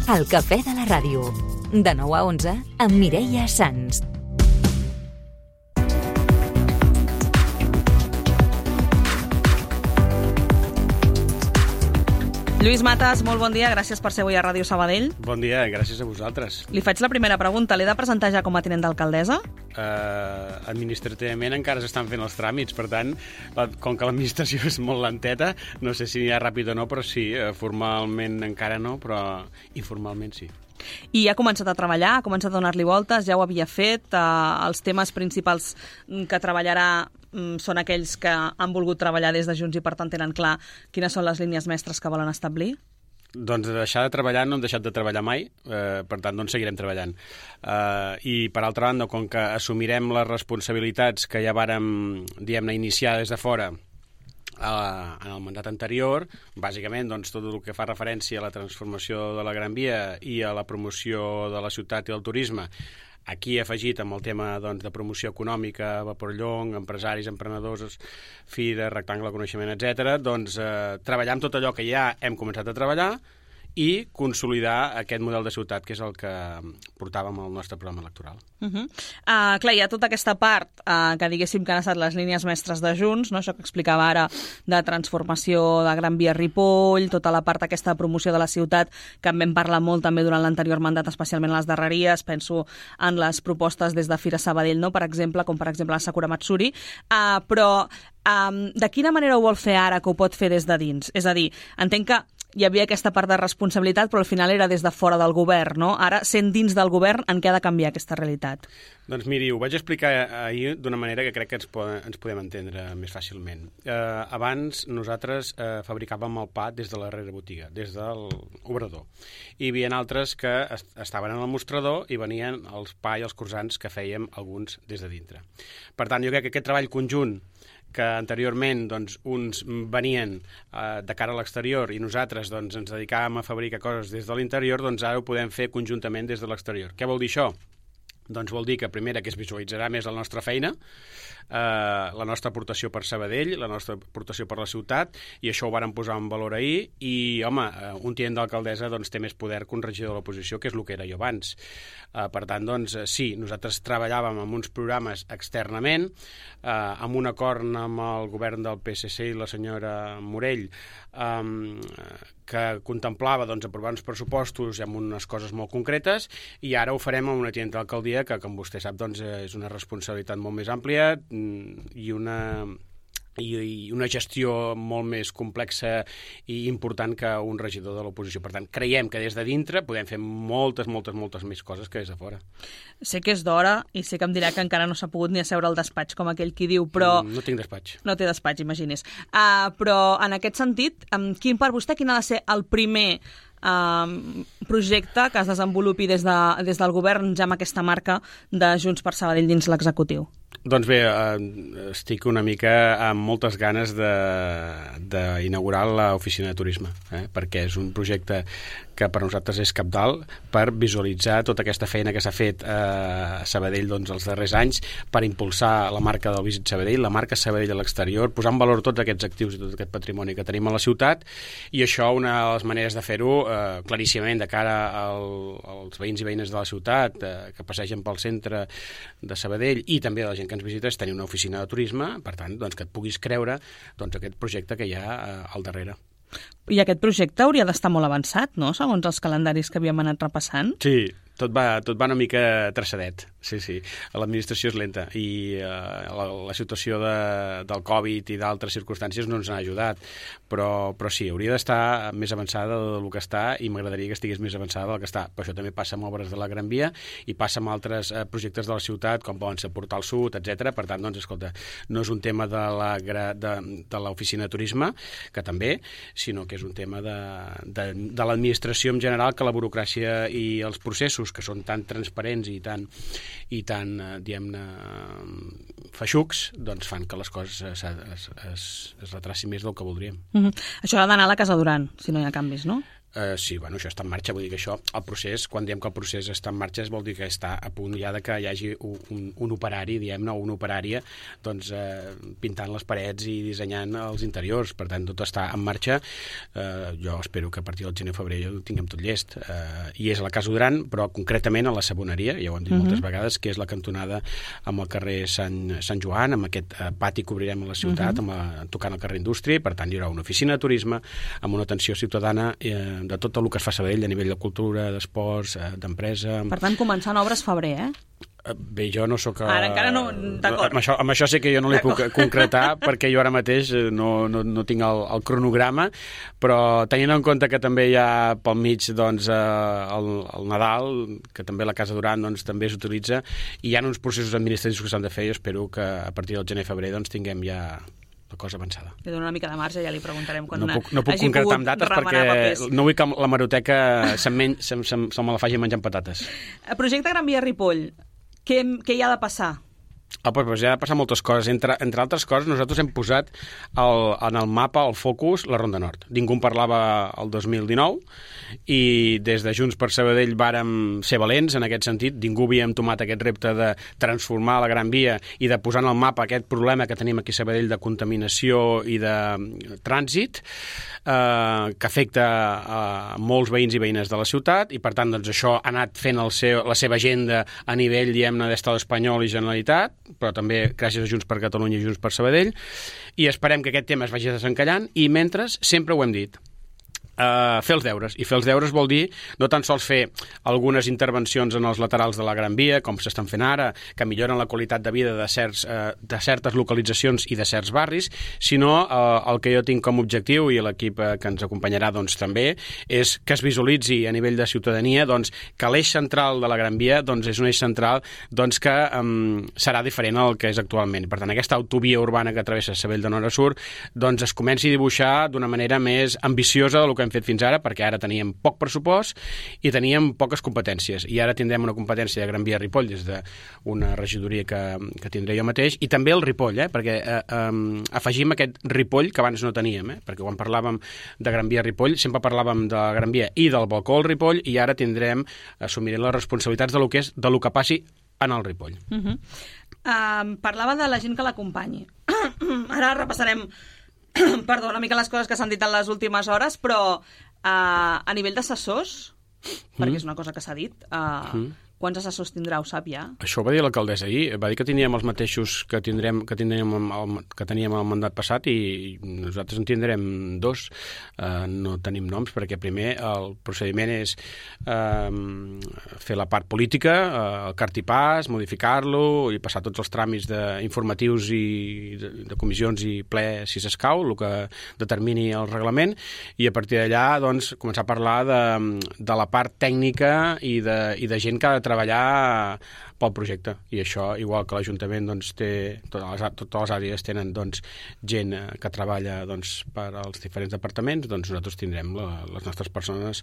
El cafè de la ràdio. De 9 a 11 amb Mireia Sans. Lluís Matas, molt bon dia, gràcies per ser avui a Ràdio Sabadell. Bon dia, gràcies a vosaltres. Li faig la primera pregunta, l'he de presentar ja com a tinent d'alcaldessa? Administrativament encara s'estan fent els tràmits, per tant, com que l'administració és molt lenteta, no sé si ja ràpid o no, però sí, formalment encara no, però informalment sí. I ha començat a treballar, ha començat a donar-li voltes, ja ho havia fet, els temes principals que treballarà són aquells que han volgut treballar des de Junts i per tant tenen clar quines són les línies mestres que volen establir? Doncs de deixar de treballar no hem deixat de treballar mai, per tant doncs seguirem treballant. I per altra banda, com que assumirem les responsabilitats que ja vàrem, diguem-ne, iniciar des de fora en el mandat anterior, bàsicament doncs, tot el que fa referència a la transformació de la Gran Via i a la promoció de la ciutat i del turisme, aquí afegit amb el tema doncs, de promoció econòmica, Vapor Llong, empresaris, emprenedors, Fira, Rectangle, Coneixement, etc. Doncs treballar amb tot allò que ja hem començat a treballar i consolidar aquest model de ciutat, que és el que portàvem al nostre programa electoral. Clar, hi ha tota aquesta part que diguéssim que han estat les línies mestres de Junts, no? Això que explicava ara de transformació de Gran Via Ripoll, tota la part aquesta de promoció de la ciutat, que en vam parlar molt també durant l'anterior mandat, especialment a les darreries, penso en les propostes des de Fira Sabadell, no? Per exemple, com per exemple la Sakura Matsuri, però de quina manera ho vol fer ara que ho pot fer des de dins? És a dir, entenc que hi havia aquesta part de responsabilitat, però al final era des de fora del govern, no? Ara, sent dins del govern, en què ha de canviar aquesta realitat? Doncs miri, ho vaig explicar ahir d'una manera que crec que ens podem entendre més fàcilment. Abans nosaltres fabricàvem el pa des de la darrera botiga, des de l'obrador. Hi havia altres que estaven en el mostrador i venien els pa i els croissants que fèiem alguns des de dintre. Per tant, jo crec que aquest treball conjunt que anteriorment doncs, uns venien de cara a l'exterior i nosaltres doncs, ens dedicàvem a fabricar coses des de l'interior, doncs ara ho podem fer conjuntament des de l'exterior. Què vol dir això? Doncs vol dir que, primera, que es visualitzarà més la nostra feina, la nostra aportació per Sabadell, la nostra aportació per la ciutat, i això ho vàrem posar en valor ahir, i, home, un tinent d'alcaldessa doncs, té més poder que un regidor de l'oposició, que és el que era jo abans. Per tant, doncs, sí, nosaltres treballàvem amb uns programes externament, amb un acord amb el govern del PSC i la senyora Morell, que contemplava doncs, aprovar uns pressupostos amb unes coses molt concretes, i ara ho farem amb una tinent d'alcaldia que, com vostè sap, doncs, és una responsabilitat molt més àmplia i una gestió molt més complexa i important que un regidor de l'oposició. Per tant, creiem que des de dintre podem fer moltes més coses que des de fora. Sé que és d'hora i sé que em dirà que encara no s'ha pogut ni asseure al despatx, com aquell qui diu, però... No tinc despatx. No té despatx, imagines. Però en aquest sentit, per vostè quin ha de ser el primer projecte que es desenvolupi des del govern ja amb aquesta marca de Junts per Sabadell dins l'executiu? Doncs bé, estic una mica amb moltes ganes d'inaugurar l'oficina de turisme, perquè és un projecte que per nosaltres és cabdal per visualitzar tota aquesta feina que s'ha fet a Sabadell doncs, els darrers anys per impulsar la marca del Visit Sabadell, la marca Sabadell a l'exterior, posar en valor tots aquests actius i tot aquest patrimoni que tenim a la ciutat, i això una de les maneres de fer-ho claríssimament de cara als veïns i veïnes de la ciutat que passegen pel centre de Sabadell i també de la gent que ens visita és tenir una oficina de turisme, per tant, doncs, que et puguis creure doncs, aquest projecte que hi ha al darrere. I aquest projecte hauria d'estar molt avançat, no?, segons els calendaris que havíem anat repassant. Sí, tot va una mica traçadet, sí. L'administració és lenta i la situació del Covid i d'altres circumstàncies no ens ha ajudat, però sí, hauria d'estar més avançada del que està i m'agradaria que estigués més avançada del que està. Però això també passa amb obres de la Gran Via i passa amb altres projectes de la ciutat, com poden ser Portal Sud, etc. Per tant, doncs, escolta, no és un tema de l'oficina de turisme, que també, sinó que és un tema de l'administració en general, que la burocràcia i els processos que són tan transparents i tan diguem-ne, feixucs, doncs fan que les coses es retracin més del que voldríem. Això ha d'anar a la Casa Duran, si no hi ha canvis, no? Sí, bueno, això està en marxa, vull dir que això, el procés, quan diem que el procés està en marxa, vol dir que està a punt ja de que hi hagi un operari, diguem-ne, o una operària, doncs pintant les parets i dissenyant els interiors, per tant, tot està en marxa. Jo espero que a partir del gener-febrer ho tinguem tot llest. I és a la Casa Duran, però concretament a la Saboneria, ja ho hem dit moltes vegades, que és la cantonada amb el carrer Sant Joan, amb aquest pati que obrirem a la ciutat, tocant el carrer Indústria, i per tant hi haurà una oficina de turisme amb una atenció ciutadana de tot el que es fa a Sabadell a nivell de cultura, d'esports, d'empresa. Per tant, començant obres febrer, Bé, jo no sóc... Ara encara no... D'acord. Amb això sé que jo no li puc concretar, perquè jo ara mateix no tinc el cronograma, però tenint en compte que també hi ha pel mig doncs, el Nadal, que també la Casa Duran doncs, també s'utilitza, i hi ha uns processos administratius que s'han de fer, i espero que a partir del gener-febrer doncs, tinguem ja la cosa avançada. Li dono una mica de marge, ja li preguntarem quan no puc concretar amb dates perquè no vull que la hemeroteca se me la faci menjant patates. Projecte Gran Via Ripoll, què hi ha de passar? Doncs ja ha de passar moltes coses. Entre altres coses, nosaltres hem posat en el mapa, el focus, la Ronda Nord. Ningú en parlava el 2019 i des de Junts per Sabadell vàrem ser valents en aquest sentit. Ningú havíem tomat aquest repte de transformar la Gran Via i de posar en el mapa aquest problema que tenim aquí a Sabadell de contaminació i de trànsit que afecta a molts veïns i veïnes de la ciutat, i per tant doncs, això ha anat fent la seva agenda a nivell, diguem-ne, d'Estat espanyol i Generalitat, però també gràcies a Junts per Catalunya i Junts per Sabadell, i esperem que aquest tema es vagi desencallant, i mentre, sempre ho hem dit, fer els deures. I fer els deures vol dir no tan sols fer algunes intervencions en els laterals de la Gran Via, com s'estan fent ara, que milloren la qualitat de vida de certes localitzacions i de certs barris, sinó el que jo tinc com a objectiu, i l'equip que ens acompanyarà doncs, també, és que es visualitzi a nivell de ciutadania doncs, que l'eix central de la Gran Via doncs, és un eix central doncs, que serà diferent al que és actualment. Per tant, aquesta autovia urbana que travessa Sabadell de nord a sud doncs, es comenci a dibuixar d'una manera més ambiciosa del que hem fet fins ara, perquè ara teníem poc pressupost i teníem poques competències, i ara tindrem una competència de Gran Via Ripoll des d'una regidoria que tindré jo mateix, i també el Ripoll, perquè afegim aquest Ripoll que abans no teníem, perquè quan parlàvem de Gran Via Ripoll sempre parlàvem de la Gran Via i del balcó al Ripoll, i ara assumirem les responsabilitats de lo que passi en el Ripoll. Parlava de la gent que l'acompanyi. Ara repassarem una mica les coses que s'han dit en les últimes hores, però a nivell d'assessors, perquè és una cosa que s'ha dit, quants assessors tindrà, ho sap ja? Això ho va dir l'alcaldessa ahir, va dir que teníem els mateixos que teníem el mandat passat, i nosaltres en tindrem 2. No tenim noms, perquè primer el procediment és fer la part política, el cartipàs, modificar-lo i passar tots els tràmits informatius i de comissions i ple, si s'escau, el que determini el reglament, i a partir d'allà doncs, començar a parlar de la part tècnica i de gent que ha de treballar pel projecte, i això, igual que l'Ajuntament doncs, totes les àrees tenen doncs, gent que treballa doncs, per als diferents departaments, doncs nosaltres tindrem les nostres persones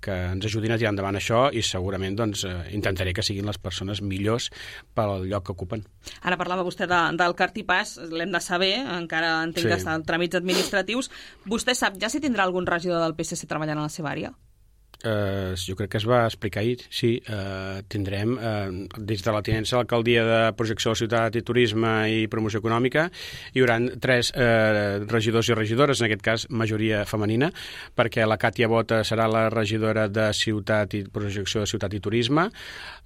que ens ajudin a tirar endavant això, i segurament doncs, intentaré que siguin les persones millors pel lloc que ocupen. Ara parlava vostè del cartipàs, l'hem de saber, encara entenc que està en tràmits administratius. Vostè sap ja si tindrà algun regidor del PSC treballant a la seva àrea? Jo crec que es va explicar ahir, sí, tindrem des de la tinença a l'alcaldia de Projecció de la Ciutat i Turisme i Promoció Econòmica hi haurà 3 regidors i regidores, en aquest cas majoria femenina, perquè la Càtia Bota serà la regidora de Ciutat i Projecció de Ciutat i Turisme,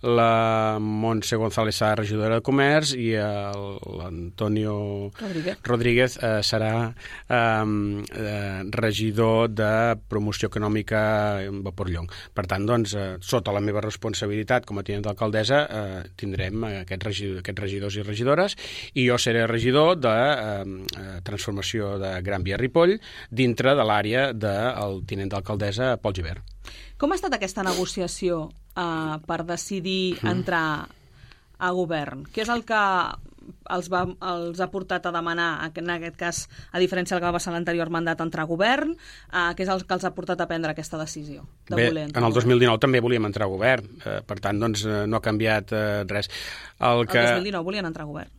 la Montse González serà regidora de Comerç, i l'Antonio Rodríguez serà regidor de Promoció Econòmica Vapor Llong. Per tant, doncs, sota la meva responsabilitat com a tinent d'alcaldessa tindrem aquests regidors i regidores, i jo seré regidor de transformació de Gran Via Ripoll dintre de l'àrea del tinent d'alcaldessa Pol Gibert. Com ha estat aquesta negociació per decidir entrar a govern? Què és el que els ha portat a demanar, en aquest cas, a diferència del que va passar en l'anterior mandat, entrar a govern? Què és el que els ha portat a prendre aquesta decisió? Bé, en el 2019 també volíem entrar a govern, per tant, doncs, no ha canviat res. El 2019 volien entrar a govern?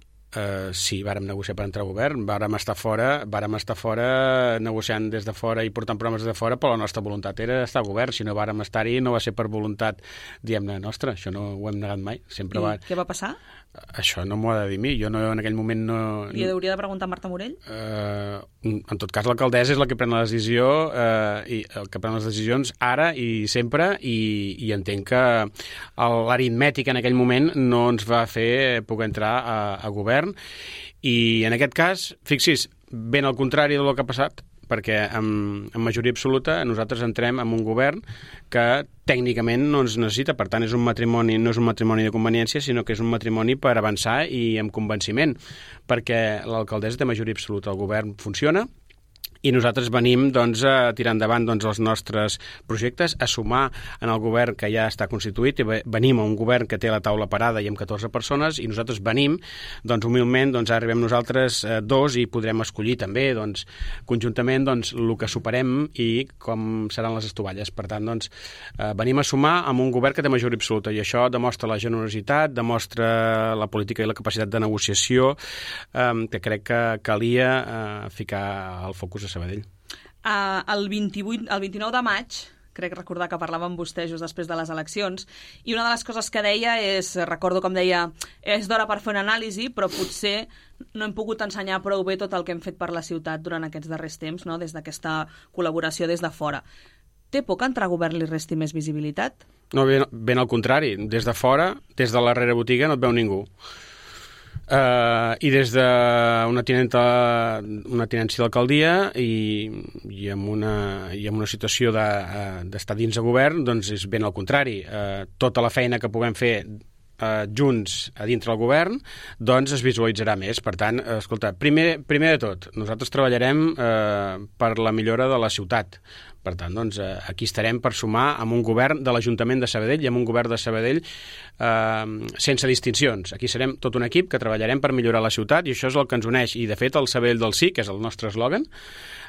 Sí, vàrem negociar per entrar al govern, vàrem estar fora negociant des de fora i portant programes des de fora, però la nostra voluntat era estar al govern. Si no vàrem estar-hi no va ser per voluntat, diguem-ne, nostra. Això no ho hem negat mai. Sempre què va passar? Això no m'ho ha de dir mi. Jo en aquell moment no... Li hauria de preguntar a Marta Morell? En tot cas, l'alcaldessa és la que pren la decisió, i el que pren les decisions ara i sempre, i entenc que l'aritmètica en aquell moment no ens va fer poder entrar a govern. I en aquest cas, fixi's, ben al contrari del que ha passat, perquè amb majoria absoluta nosaltres entrem en un govern que tècnicament no ens necessita. Per tant, no és un matrimoni de conveniència, sinó que és un matrimoni per avançar i amb convenciment, perquè l'alcaldessa té majoria absoluta, el govern funciona, i nosaltres venim a tirar endavant els nostres projectes, a sumar en el govern que ja està constituït, i venim a un govern que té la taula parada i amb 14 persones, i nosaltres venim, humilment, arribem nosaltres dos, i podrem escollir també, conjuntament, el que superem i com seran les estovalles. Per tant, venim a sumar amb un govern que té majoria absoluta, i això demostra la generositat, demostra la política i la capacitat de negociació, que crec que calia ficar el focus a Sabadell. El 29 de maig, crec recordar que parlava amb vostè just després de les eleccions, i una de les coses que deia recordo com deia, és d'hora per fer una anàlisi, però potser no hem pogut ensenyar prou bé tot el que hem fet per la ciutat durant aquests darrers temps, no? Des d'aquesta col·laboració des de fora. Té por que entrar a govern li resti més visibilitat? No, ben al contrari. Des de fora, des de la rerebotiga, no et veu ningú. I des d'una tinència d'alcaldia i amb una situació d'estar dins de govern, és ben al contrari. Tota la feina que puguem fer junts a dintre del govern, es visualitzarà més. Per tant, escolta, primer de tot, nosaltres treballarem per la millora de la ciutat. Per tant, aquí estarem per sumar amb un govern de l'Ajuntament de Sabadell i amb un govern de Sabadell sense distincions. Aquí serem tot un equip que treballarem per millorar la ciutat, i això és el que ens uneix. I, de fet, el Sabadell del Sí, que és el nostre eslògan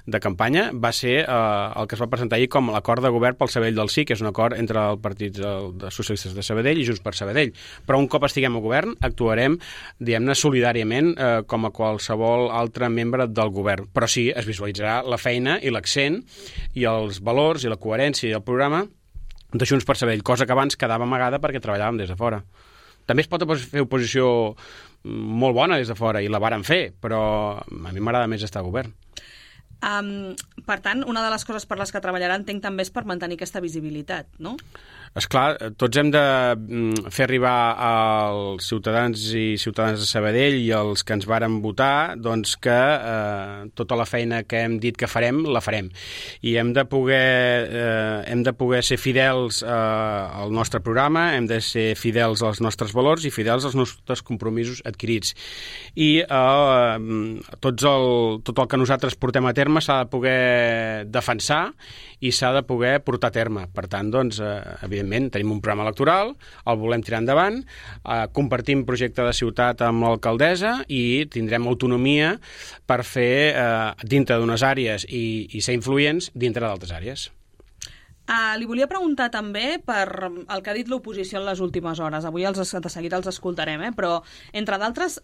de campanya, va ser el que es va presentar ahir com l'acord de govern pel Sabadell del Sí, que és un acord entre el Partit dels Socialistes de Sabadell i Junts per Sabadell. Però un cop estiguem al govern, actuarem, diguem-ne, solidàriament com a qualsevol altre membre del govern. Però sí, es visualitzarà la feina i l'accent i els valors i la coherència i el programa de Junts per Sabadell, cosa que abans quedava amagada perquè treballàvem des de fora. També es pot fer oposició molt bona des de fora, i la vàrem fer, però a mi m'agrada més estar al govern. Per tant, una de les coses per les que treballarà, entenc, també és per mantenir aquesta visibilitat, no? Esclar, tots hem de fer arribar als ciutadans i ciutadanes de Sabadell i els que ens varen votar que tota la feina que hem dit que farem, la farem. I hem de poder ser fidels al nostre programa, hem de ser fidels als nostres valors i fidels als nostres compromisos adquirits. I tot el que nosaltres portem a terme s'ha de poder defensar i s'ha de poder portar a terme. Per tant, evidentment, tenim un programa electoral, el volem tirar endavant, compartim projecte de ciutat amb l'alcaldessa i tindrem autonomia per fer dintre d'unes àrees i ser influents dintre d'altres àrees. Li volia preguntar també per el que ha dit l'oposició en les últimes hores. Avui de seguida els escoltarem, però, entre d'altres,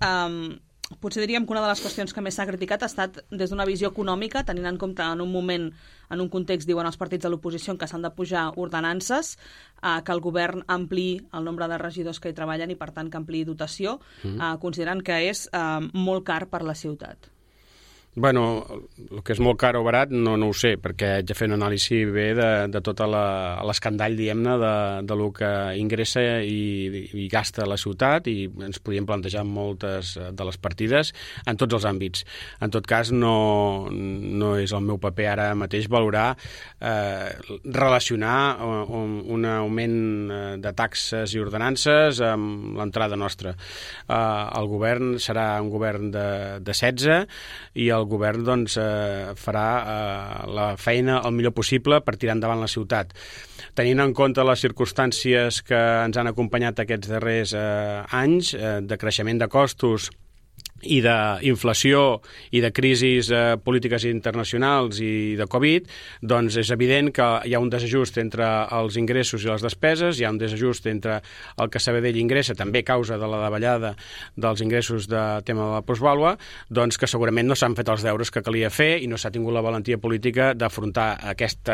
potser diríem que una de les qüestions que més s'ha criticat ha estat des d'una visió econòmica, tenint en compte en un moment, en un context, diuen els partits de l'oposició, en què s'han de pujar ordenances, que el govern ampliï el nombre de regidors que hi treballen i, per tant, que ampliï dotació, considerant que és molt car per la ciutat. Bueno, el que és molt car o barat no ho sé, perquè haig de fer una anàlisi bé de tot l'escandall, diguem-ne, de lo que ingressa i gasta la ciutat, i ens podíem plantejar moltes de les partides en tots els àmbits. En tot cas, no és el meu paper ara mateix valorar, relacionar un augment de taxes i ordenances amb l'entrada nostra. El govern serà un govern de 16 i el govern farà la feina el millor possible per tirar endavant la ciutat. Tenint en compte les circumstàncies que ens han acompanyat aquests darrers anys, de creixement de costos i d'inflació i de crisis polítiques internacionals i de Covid, doncs és evident que hi ha un desajust entre els ingressos i les despeses, hi ha un desajust entre el que Sabadell ingressa, també a causa de la davallada dels ingressos de tema de la plusvàlua, doncs que segurament no s'han fet els deures que calia fer i no s'ha tingut la valentia política d'afrontar aquest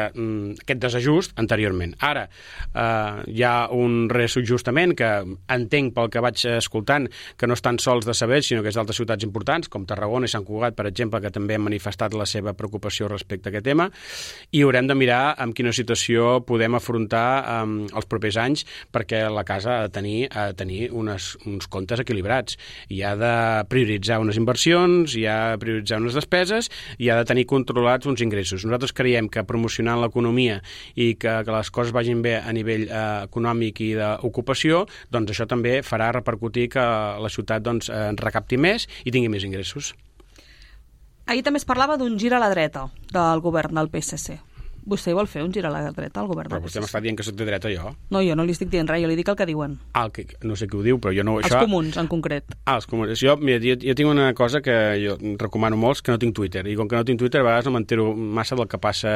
desajust anteriorment. Ara, hi ha un reajustament que entenc pel que vaig escoltant que no estan sols de Sabadell, sinó que és d'altres ciutats importants, com Tarragona i Sant Cugat, per exemple, que també han manifestat la seva preocupació respecte a aquest tema, i haurem de mirar en quina situació podem afrontar els propers anys, perquè la casa ha de tenir uns comptes equilibrats. I ha de prioritzar unes inversions, i ha de prioritzar unes despeses, i ha de tenir controlats uns ingressos. Nosaltres creiem que promocionant l'economia i que les coses vagin bé a nivell econòmic i d'ocupació, doncs això també farà repercutir que la ciutat recapti més i tingui més ingressos. Ahir també es parlava d'un gir a la dreta del govern del PSC. Vostè vol fer un gir a la dreta al govern del PSC? Però vostè m'està dient que soc de dreta, jo? No, jo no li estic dient res, jo li dic el que diuen. No sé qui ho diu, però jo no... Els comuns, en concret. Els comuns. Jo tinc una cosa que jo recomano molts, que no tinc Twitter. I com que no tinc Twitter, a vegades no m'entero massa del que passa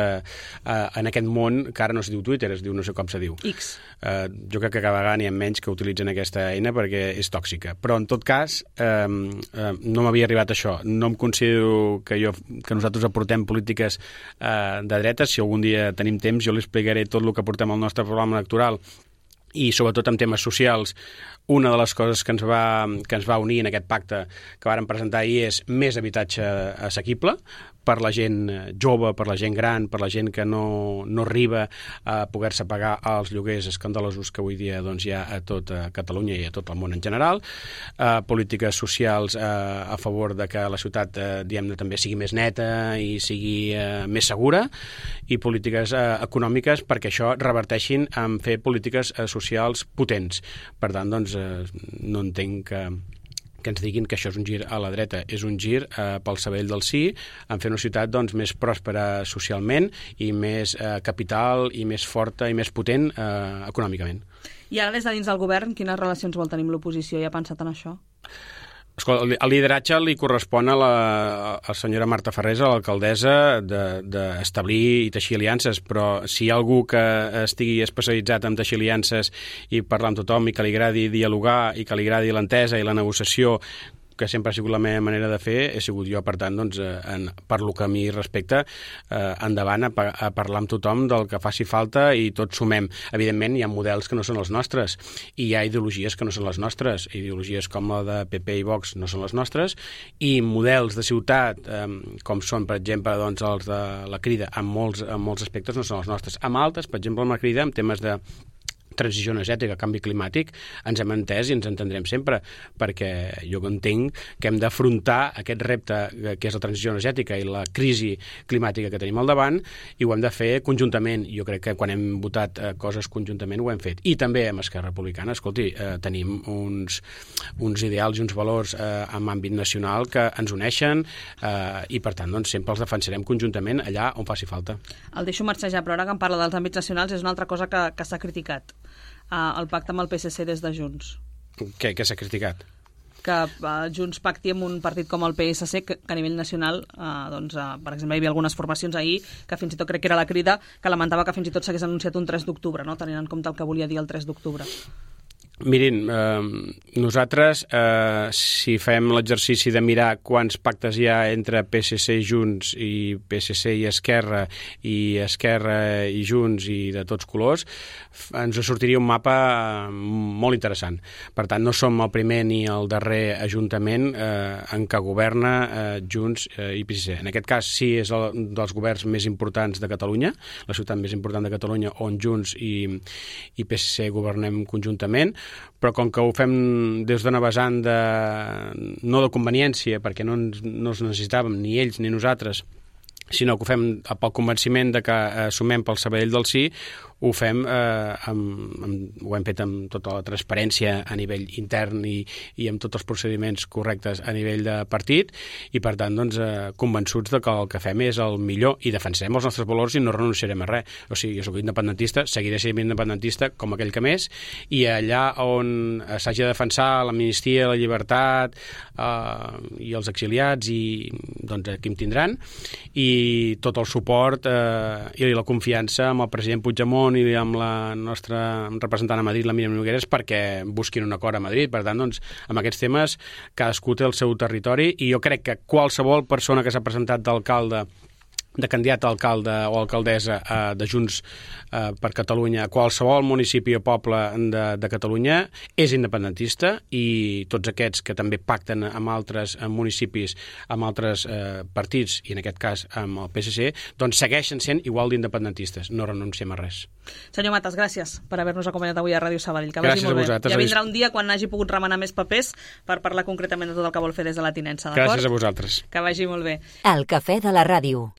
en aquest món, que ara no es diu Twitter, es diu no sé com se diu. X. Jo crec que cada vegada n'hi ha menys que utilitzen aquesta eina perquè és tòxica. Però, en tot cas, no m'havia arribat això. No em considero que nosaltres aportem polítiques de dreta. Si algun dia tenim temps, jo li explicaré tot el que portem al nostre programa electoral i sobretot en temes socials. Una de les coses que ens va unir en aquest pacte que vàrem presentar ahir és més habitatge assequible per la gent jove, per la gent gran, per la gent que no arriba a poder-se pagar els lloguers escandalosos que avui dia hi ha a tota Catalunya i a tot el món en general. Polítiques socials a favor de que la ciutat diguem-ne també sigui més neta i sigui més segura, i polítiques econòmiques perquè això reverteixin en fer polítiques socials potents. Per tant, no entenc que ens diguin que això és un gir a la dreta. És un gir pel Sabadell del sí, en fer una ciutat més pròspera socialment i més capital i més forta i més potent econòmicament. I ara, des de dins del govern, quines relacions vol tenir amb l'oposició? Ja ha pensat en això? Escolta, el lideratge li correspon a la senyora Marta Ferrés, a l'alcaldessa, d'establir i teixir aliances, però si hi ha algú que estigui especialitzat en teixir aliances i parlar amb tothom i que li agradi dialogar i que li agradi l'entesa i la negociació, que sempre ha sigut la meva manera de fer, he sigut jo. Per tant, per lo que a mi respecta, endavant a parlar amb tothom del que faci falta i tots sumem. Evidentment, hi ha models que no són els nostres i hi ha ideologies que no són les nostres. Ideologies com la de PP i Vox no són les nostres, i models de ciutat, com són, per exemple, els de la Crida, en molts aspectes no són els nostres. Amb altres, per exemple, amb la Crida, en temes de transició energètica, canvi climàtic, ens hem entès i ens entendrem sempre, perquè jo entenc que hem d'afrontar aquest repte que és la transició energètica i la crisi climàtica que tenim al davant, i ho hem de fer conjuntament. Jo crec que quan hem votat coses conjuntament ho hem fet. I també amb Esquerra Republicana, escolti, tenim uns ideals i uns valors en àmbit nacional que ens uneixen i per tant sempre els defensarem conjuntament allà on faci falta. El deixo marxejar, però ara que em parla dels àmbits nacionals és una altra cosa que s'ha criticat. El pacte amb el PSC des de Junts. Què s'ha criticat? Que Junts pacti amb un partit com el PSC, que a nivell nacional, per exemple, hi havia algunes formacions ahir, que fins i tot crec que era la Crida, que lamentava que fins i tot s'hagués anunciat un 3 d'octubre, no? Tenint en compte el que volia dir el 3 d'octubre. Mirin, nosaltres, si fem l'exercici de mirar quants pactes hi ha entre PSC i Junts i PSC i Esquerra i Junts i de tots colors, ens sortiria un mapa molt interessant. Per tant, no som el primer ni el darrer ajuntament en què governa Junts i PSC. En aquest cas, sí, és un dels governs més importants de Catalunya, la ciutat més important de Catalunya, on Junts i PSC governem conjuntament, però com que ho fem des d'una vessant no de conveniència, perquè no ens necessitàvem ni ells ni nosaltres sinó que ho fem pel convenciment de que sumem pel Sabadell del Sí, ho fem, ho hem fet amb tota la transparència a nivell intern i amb tots els procediments correctes a nivell de partit, i per tant doncs, convençuts de que el que fem és el millor i defensarem els nostres valors i no renunciarem a res. O sigui, jo soc independentista, seguiré sent independentista com aquell que més, i allà on s'hagi de defensar l'amnistia, la llibertat i els exiliats, i doncs aquí em tindran, i tot el suport i la confiança amb el president Puigdemont i amb la nostra representant a Madrid, la Míriam Nogueras, perquè busquin un acord a Madrid. Per tant, doncs, amb aquests temes cadascú té el seu territori, i jo crec que qualsevol persona que s'ha presentat d'alcalde, de candidat a alcalde o alcaldessa de Junts per Catalunya, qualsevol municipi o poble de Catalunya és independentista, i tots aquests que també pacten amb altres municipis, amb altres partits, i en aquest cas amb el PSC, doncs segueixen sent igual d'independentistes. No renunciem a res. Senyor Matas, gràcies per haver-nos acompanyat avui a Ràdio Sabadell. Que gràcies vagi molt a vosaltres. Ja vindrà un dia quan hagi pogut remenar més papers per parlar concretament de tot el que vol fer des de la tinença, d'acord? Gràcies a vosaltres. Que vagi molt bé. El cafè de la ràdio.